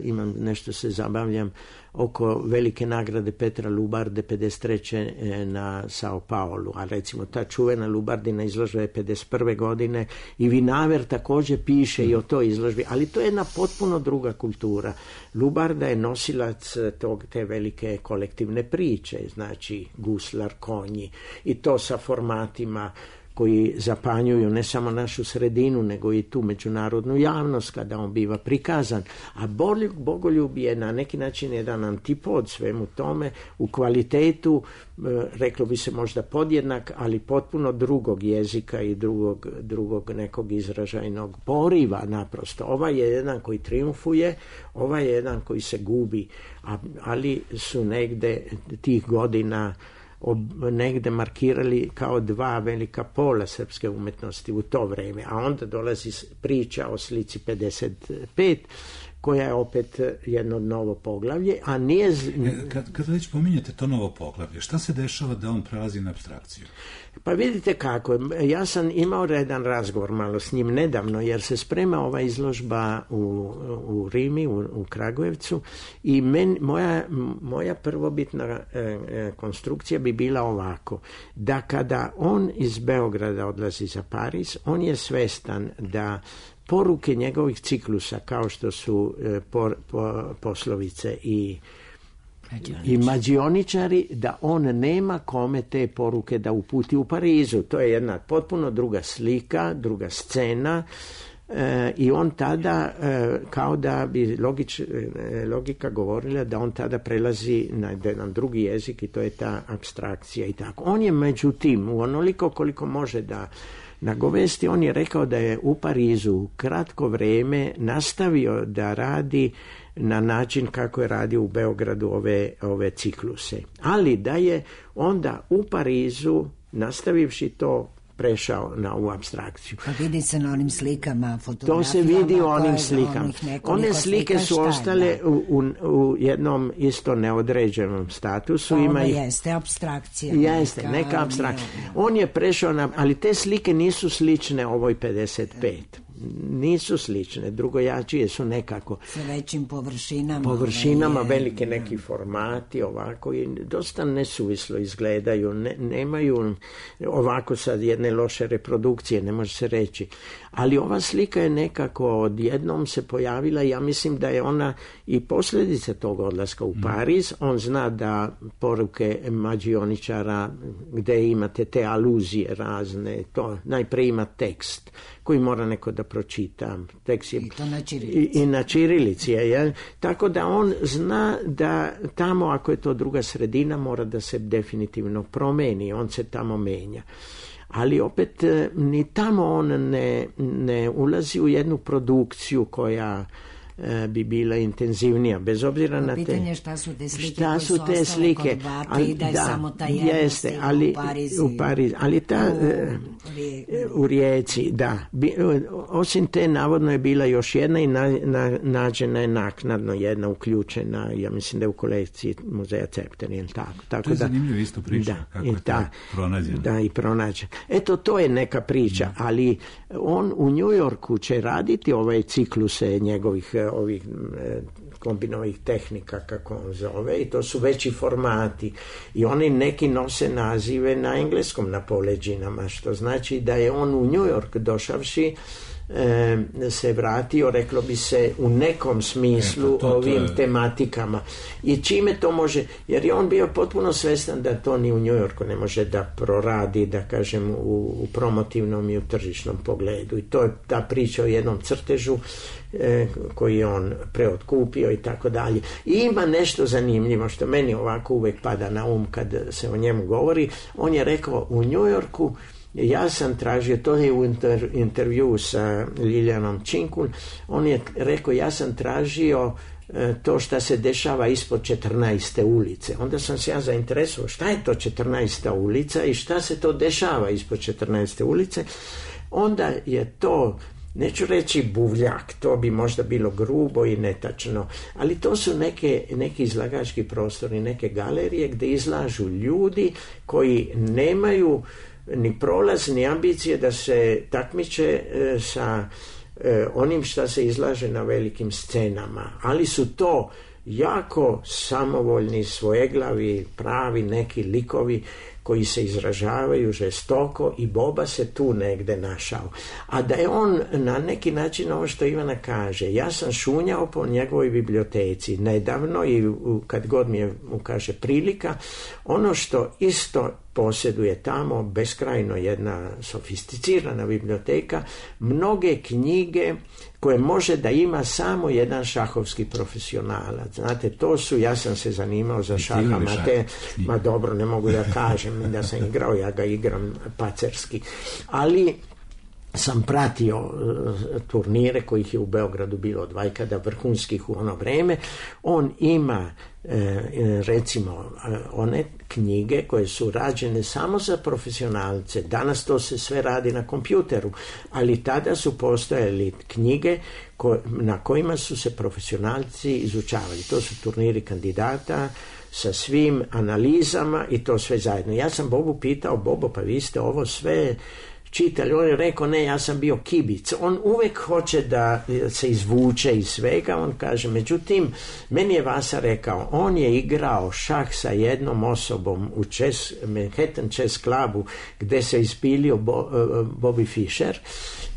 Speaker 12: imam nešto se zabavljam oko velike nagrade Petra Lubarde pedeset treće na Sao Paulu, a recimo ta čuvena Lubardina izložba je pedeset prve godine i Vinaver također piše i o toj izložbi, ali to je jedna potpuno druga kultura. Lubarda je nosilac tog, te velike kolektivne priče, znači guslar, konji i to sa formatima koji zapanjuju ne samo našu sredinu, nego i tu međunarodnu javnost kada on biva prikazan. A Bogoljub je na neki način jedan antipod svemu tome, u kvalitetu, reklo bi se možda podjednak, ali potpuno drugog jezika i drugog, drugog nekog izražajnog poriva naprosto. Ovaj je jedan koji triumfuje, ovaj je jedan koji se gubi, ali su negde tih godina ob, negde markirali kao dva velika pola srpske umetnosti u to vrijeme, a onda dolazi priča o slici pedeset pet koja je opet jedno novo poglavlje, a nije...
Speaker 10: Kad, kad već pominjete to novo poglavlje, šta se dešava da on prelazi na apstrakciju?
Speaker 12: Pa vidite kako, ja sam imao jedan razgovor malo s njim nedavno, jer se sprema ova izložba u, u Rimi, u, u Kragujevcu i men, moja, moja prvobitna e, konstrukcija bi bila ovako, da kada on iz Beograda odlazi za Pariz, on je svestan da poruke njegovih ciklusa, kao što su e, por, po, poslovice i i mađioničari, da on nema kome te poruke da uputi u Parizu. To je jedna potpuno druga slika, druga scena. E, i on tada e, kao da bi logič, e, logika govorila da on tada prelazi na jedan drugi jezik i to je ta apstrakcija i tako. On je međutim u onoliko koliko može da nagovesti, on je rekao da je u Parizu kratko vrijeme nastavio da radi na način kako je radio u Beogradu ove, ove cikluse, ali da je onda u Parizu nastavivši to prešao na ovu apstrakciju.
Speaker 11: Pa vidi se na onim slikama, fotografijama.
Speaker 12: To se vidi u onim slikama. One slike su ostale u, u, u jednom isto neodređenom statusu.
Speaker 11: Pa
Speaker 12: ima
Speaker 11: ovo
Speaker 12: ih...
Speaker 11: jeste apstrakcija.
Speaker 12: Jeste, neka, neka apstrakcija. On je prešao na... Ali te slike nisu slične ovoj pedeset pet. Nisu slične, drugojačije su nekako
Speaker 11: sa većim površinama
Speaker 12: površinama, je... velike neki formati ovako i dosta nesuvislo izgledaju, ne, nemaju ovako sad jedne loše reprodukcije, ne može se reći, ali ova slika je nekako odjednom se pojavila i ja mislim da je ona i posljedica tog odlaska u Pariz. On zna da poruke mađioničara gdje imate te aluzije razne, to najprije ima tekst koji mora neko da pročita. Tekst je,
Speaker 11: I to na čirilici.
Speaker 12: I, i na čirilici je, jel? Tako da on zna da tamo, ako je to druga sredina, mora da se definitivno promeni, on se tamo menja. Ali opet ni tamo on ne, ne ulazi u jednu produkciju koja bi bila intenzivnija, bez obzira na te...
Speaker 11: Pitanje šta su te slike
Speaker 12: šta su
Speaker 11: koje
Speaker 12: te
Speaker 11: su
Speaker 12: slike,
Speaker 11: kod Bati, ali, da je
Speaker 12: da,
Speaker 11: samo ta jedna
Speaker 12: jeste,
Speaker 11: slika
Speaker 12: ali,
Speaker 11: u Parizi.
Speaker 12: U Pariz, ali ta... U, u Rijeci, da. Bi, osim te, navodno je bila još jedna i na, na, nađena je naknadno jedna uključena, ja mislim da je u kolekciji muzeja Cepter, ili tako. tako
Speaker 10: to je
Speaker 12: da,
Speaker 10: zanimljivo isto priča,
Speaker 12: da,
Speaker 10: kako je to
Speaker 12: da,
Speaker 10: pronađeno.
Speaker 12: Da, i pronađen. Eto, to je neka priča, ali on u New Yorku će raditi ovaj cikluse njegovih ovih kombinovih tehnika, kako on zove, i to su veći formati i oni neki nose nazive na engleskom na poleđinama, što znači da je on u New York došavši e, se vratio, reklo bi se, u nekom smislu e, to, to, ovim to je... tematikama i čime to može, jer je on bio potpuno svestan da to ni u New Yorku ne može da proradi, da kažem, u, u promotivnom i u tržišnom pogledu i to je ta priča o jednom crtežu e, koji je on preotkupio i tako dalje. I ima nešto zanimljivo što meni ovako uvek pada na um kad se o njemu govori. On je rekao u New Yorku, ja sam tražio, to je u inter, intervju sa Liljanom Činkun, on je rekao ja sam tražio e, to što se dešava ispod četrnaeste ulice. Onda sam se ja zainteresovao šta je to četrnaesta ulica i šta se to dešava ispod četrnaeste ulice. Onda je to, neću reći buvljak, to bi možda bilo grubo i netačno, ali to su neke, neki izlagački prostori, neke galerije gdje izlažu ljudi koji nemaju ni prolaz, ni ambicije da se takmiče e, sa e, onim što se izlaže na velikim scenama, ali su to jako samovoljni, svojeglavi, pravi neki likovi koji se izražavaju žestoko i Boba se tu negde našao. A da je on na neki način, ovo što Ivana kaže, ja sam šunjao po njegovoj biblioteci nedavno i u, kad god mi je mu kaže prilika, ono što isto posjeduje tamo, beskrajno jedna sofisticirana biblioteka, mnoge knjige koje može da ima samo jedan šahovski profesionalac. Znate, to su, ja sam se zanimao za šaha, ma, te, ma dobro, ne mogu da kažem da sam igrao, ja ga igram pacerski, ali sam pratio uh, turnire kojih je u Beogradu bilo dvajkada vrhunskih u ono vreme. On ima uh, recimo uh, one knjige koje su rađene samo za profesionalce. Danas to se sve radi na kompjuteru, ali tada su postojali knjige ko, na kojima su se profesionalci izučavali. To su turniri kandidata sa svim analizama i to sve zajedno. Ja sam Bobu pitao, Bobo, pa vi ste ovo sve čitali, on je rekao ne, ja sam bio kibic. On uvek hoće da se izvuče iz svega, on kaže, međutim, meni je Vasa rekao, on je igrao šah sa jednom osobom u chess, Manhattan Chess Clubu, gde se ispilio Bo, uh, Bobby Fischer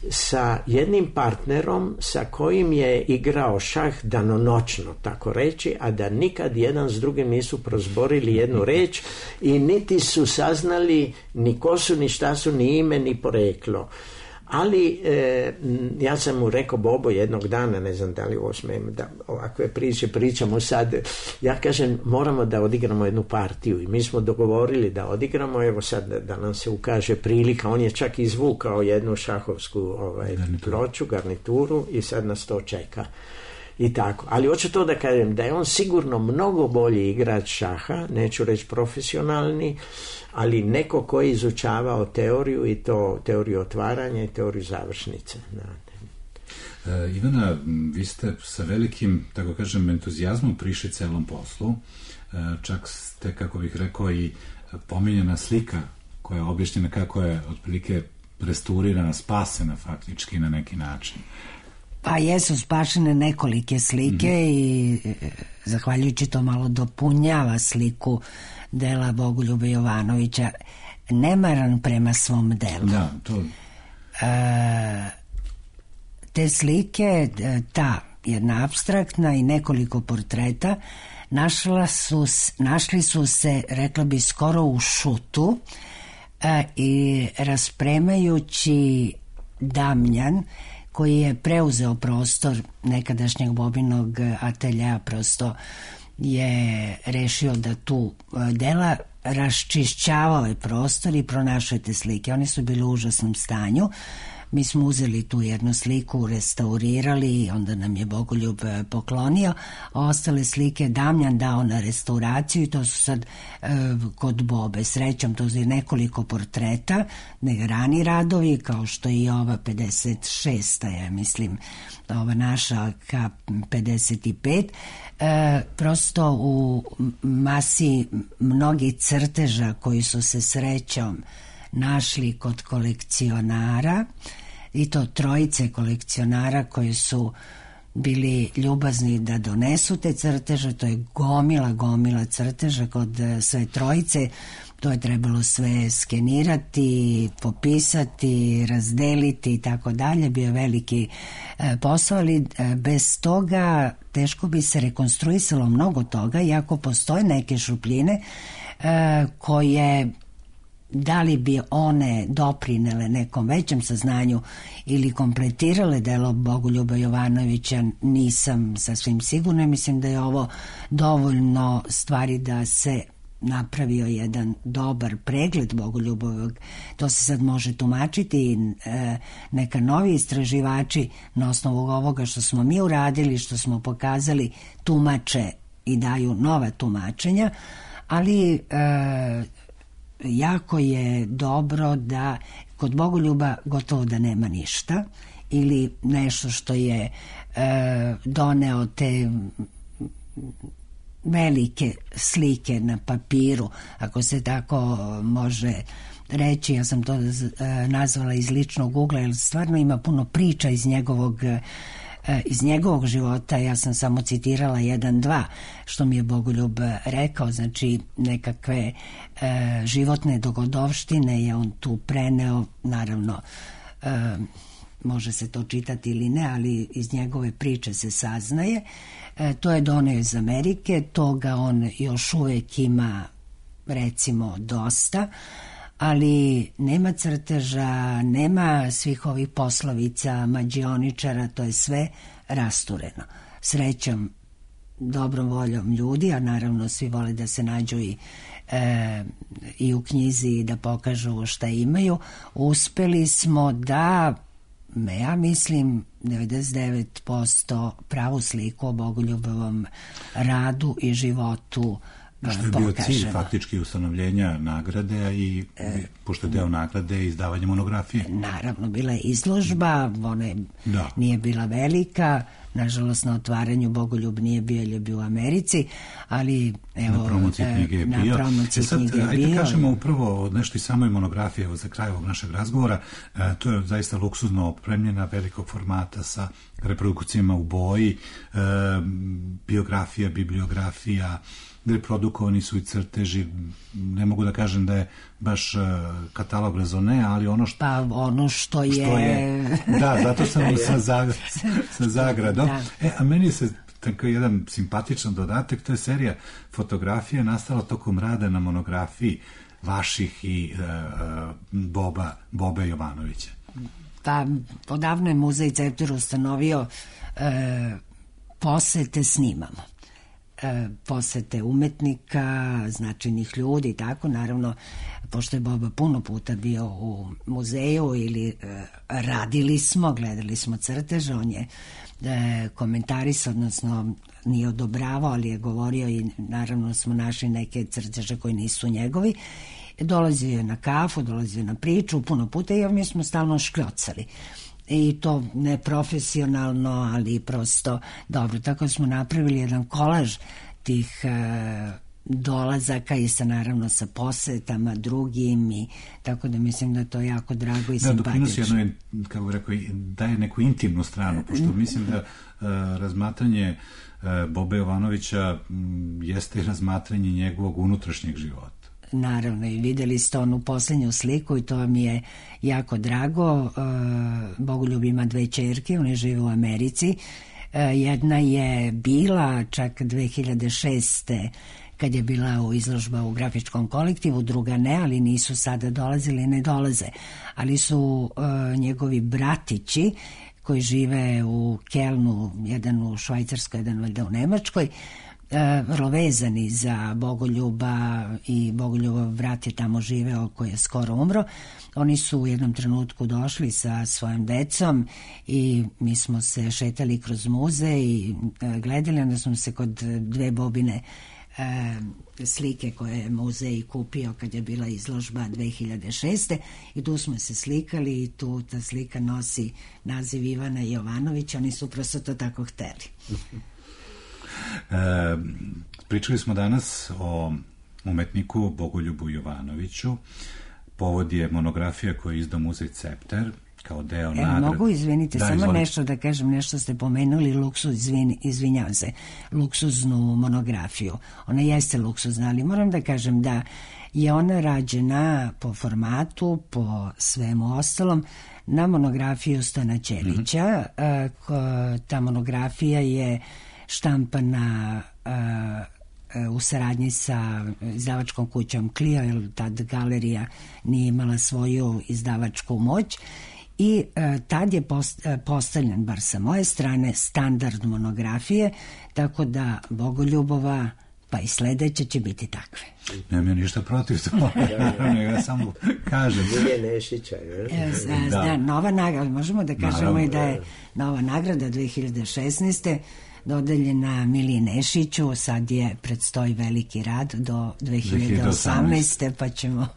Speaker 12: sa jednim partnerom sa kojim je igrao šah danonoćno, tako reći, a da nikad jedan s drugim nisu prozborili jednu reč i niti su saznali ni ko su, ni šta su, ni ime, ni poreklo. Ali e, ja sam mu rekao, Bobo, jednog dana, ne znam da li ovo smijem, da ovakve priče pričamo sad, ja kažem, moramo da odigramo jednu partiju i mi smo dogovorili da odigramo, evo sad da, da nam se ukaže prilika, on je čak izvukao jednu šahovsku ovaj, ploču, garnituru i sad nas to čeka. I tako. Ali hoću to da kažem, da je on sigurno mnogo bolji igrač šaha, neću reći profesionalni, ali neko ko je izučavao teoriju i to teoriju otvaranja i teoriju završnice.
Speaker 10: E, Ivana, vi ste sa velikim, tako kažem, entuzijazmom prišli celom poslu. E, čak ste, kako bih rekao, i pominjena slika koja je objašnjena kako je otprilike restaurirana, spasena faktički na neki način.
Speaker 11: Pa jesu spašene nekolike slike mm-hmm. i zahvaljujući to malo dopunjava sliku dela Bogoljube Jovanovića, nemaran prema svom delu.
Speaker 10: Da, to...
Speaker 11: E, te slike, ta jedna apstraktna i nekoliko portreta, našla su, našli su se, rekla bi, skoro u šutu e, i raspremajući Damljan, koji je preuzeo prostor nekadašnjeg Bobinog atelja, prosto je rešio da tu dela raščišćavao je prostor i pronašao te slike. One su bile u užasnom stanju. Mi smo uzeli tu jednu sliku, restaurirali i onda nam je Bogoljub poklonio, a ostale slike Damljan dao na restauraciju i to su sad e, kod Bobe. Srećom, to je nekoliko portreta, ne rani radovi, kao što i ova pedeset šesta, ja mislim, ova naša K pedeset pet. E, prosto u masi mnogih crteža koji su se srećom našli kod kolekcionara, i to trojice kolekcionara koji su bili ljubazni da donesu te crteže. To je gomila, gomila crteža kod sve trojice. To je trebalo sve skenirati, popisati, razdeliti i tako dalje. Bio veliki e, posao, ali e, bez toga teško bi se rekonstruisalo mnogo toga, iako postoje neke šupljine e, koje, da li bi one doprinele nekom većem saznanju ili kompletirale delo Bogoljuba Jovanovića, nisam sasvim sigurna. Mislim da je ovo dovoljno stvari da se napravio jedan dobar pregled Bogoljubovog. To se sad može tumačiti i e, neka novi istraživači na osnovu ovoga što smo mi uradili, što smo pokazali, tumače i daju nova tumačenja, ali e, jako je dobro da kod Bogoljuba gotovo da nema ništa ili nešto što je e, doneo te velike slike na papiru, ako se tako može reći. Ja sam to e, nazvala iz ličnog ugla, jer stvarno ima puno priča iz njegovog e, iz njegovog života. Ja sam samo citirala jedan, dva što mi je Bogoljub rekao, znači nekakve e, životne dogodovštine je on tu preneo, naravno e, može se to čitati ili ne, ali iz njegove priče se saznaje. E, to je doneo iz Amerike, toga on još uvek ima, recimo, dosta, ali nema crteža, nema svih ovih poslovica, mađioničara, to je sve rastureno. Srećom, dobrom voljom ljudi, a naravno svi vole da se nađu i, e, i u knjizi i da pokažu šta imaju, uspeli smo da, ja mislim, devedeset devet posto pravu sliku o Bogoljubovom radu i životu
Speaker 10: što je bio cilj faktički ustanovljenja nagrade i e, pošto je deo nagrade izdavanje monografije.
Speaker 11: Naravno, bila je izložba, ona je, da. Nije bila velika, nažalost na otvaranju Bogoljub nije bio, jer je bio u Americi, ali evo,
Speaker 10: na promociji knjige je
Speaker 11: na
Speaker 10: bio.
Speaker 11: promociji
Speaker 10: e sad,
Speaker 11: knjige je
Speaker 10: ajde
Speaker 11: bio.
Speaker 10: kažemo upravo nešto i samoj monografije, evo za kraj ovog našeg razgovora. E, to je zaista luksuzno opremljena, velikog formata sa reprodukcijama u boji, e, biografija, bibliografija, reprodukovani su i crteži. Ne mogu da kažem da je baš uh, katalog rezone, ali ono što,
Speaker 11: pa ono što je...
Speaker 10: Što je da, zato sam sa, zag, sa zagradom. Da. E, a meni se tako jedan simpatičan dodatak, to je serija fotografije nastala tokom rada na monografiji vaših i uh, Boba, Bobe Jovanovića.
Speaker 11: Pa, odavno je Muzej Cepter ustanovio uh, posete snimamo. Posete umetnika, značajnih ljudi i tako, naravno, pošto je Boba puno puta bio u muzeju ili e, radili smo, gledali smo crteže, on je e, komentaris, odnosno nije odobravao, ali je govorio i naravno smo našli neke crteže koji nisu njegovi. Dolazio je na kafu, dolazio na priču puno puta i mi smo stalno škljocali. I to ne profesionalno, ali prosto dobro. Tako smo napravili jedan kolaž tih e, dolazaka i sa naravno sa posetama drugim i tako da mislim da to je jako drago i
Speaker 10: da,
Speaker 11: simpatično.
Speaker 10: Da, doprinosi jedno, kako bih rekao, daje neku intimnu stranu, pošto mislim da e, razmatranje e, Bobe Jovanovića m, jeste razmatranje njegovog unutrašnjeg života.
Speaker 11: Naravno, i videli ste onu posljednju sliku i to mi je jako drago. Bogoljub ima dve ćerke, one žive u Americi. Jedna je bila čak dve hiljade šeste kad je bila u izložba u grafičkom kolektivu, druga ne, ali nisu sada dolazili, ne dolaze. Ali su njegovi bratići koji žive u Kelnu, jedan u Švajcarskoj, jedan valjda u Nemačkoj, vrlo vezani za Bogoljuba i Bogoljubov brat je tamo živeo koji je skoro umro. Oni su u jednom trenutku došli sa svojim decom i mi smo se šetali kroz muzej i gledali, onda smo se kod dve Bobine e, slike koje je muzej kupio kad je bila izložba dve hiljade šeste i tu smo se slikali i tu ta slika nosi naziv Ivana Jovanovića, oni su prosto to tako hteli.
Speaker 10: E, pričali smo danas o umetniku Bogoljubu Jovanoviću. Povod je monografija koju je izdao Muzej Cepter kao deo nagrade.
Speaker 11: Evo, mogu, izvinite,
Speaker 10: da,
Speaker 11: samo
Speaker 10: izvolite.
Speaker 11: nešto da kažem, nešto ste pomenuli, luksuz, izvin, izvinjavam se, luksuznu monografiju. Ona jeste luksuzna, ali moram da kažem da je ona rađena po formatu, po svemu ostalom, na monografiju Stojana Ćelića. Mm-hmm. Ta monografija je štampana uh, u saradnji sa izdavačkom kućom Clio, jer tad galerija nije imala svoju izdavačku moć i uh, tad je post, uh, postavljen, bar sa moje strane, standard monografije, tako da Bogoljubova pa i sledeće će biti takve.
Speaker 10: Nemam ja ništa protiv toga, ja samo kažem.
Speaker 12: Milije Nešića, je?
Speaker 11: Da. Da, nova nagrada, možemo da kažemo Naravno. i da je nova nagrada dve hiljade šesnaeste dodeljena Miliji Nešiću, sad je predstoji veliki rad do dve hiljade osamnaeste pa ćemo...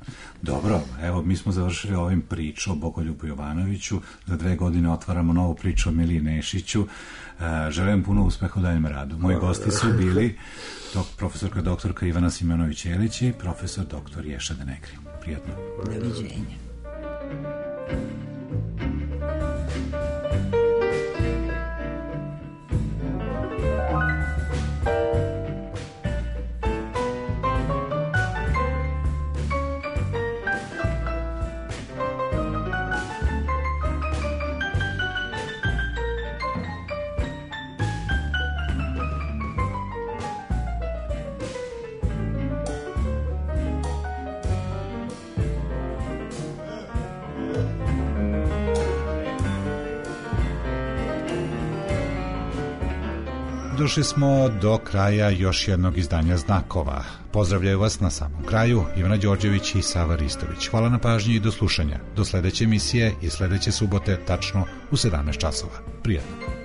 Speaker 10: Dobro, evo mi smo završili ovim priču o Bogoljubu Jovanoviću, za dve godine otvaramo novu priču o Miliji Nešiću. Želim puno uspeha u daljem radu. Moji gosti su bili dok, profesorka doktorka Ivana Simonović-Jelić i profesor doktor Ješa Denekri. Prijatno.
Speaker 11: Doviđenja.
Speaker 10: Došli smo do kraja još jednog izdanja Znakova. Pozdravljaju vas na samom kraju Ivana Đorđević i Sava Ristović. Hvala na pažnji i do slušanja. Do sledeće emisije i sledeće subote tačno u sedamnaest časova. Prijatno.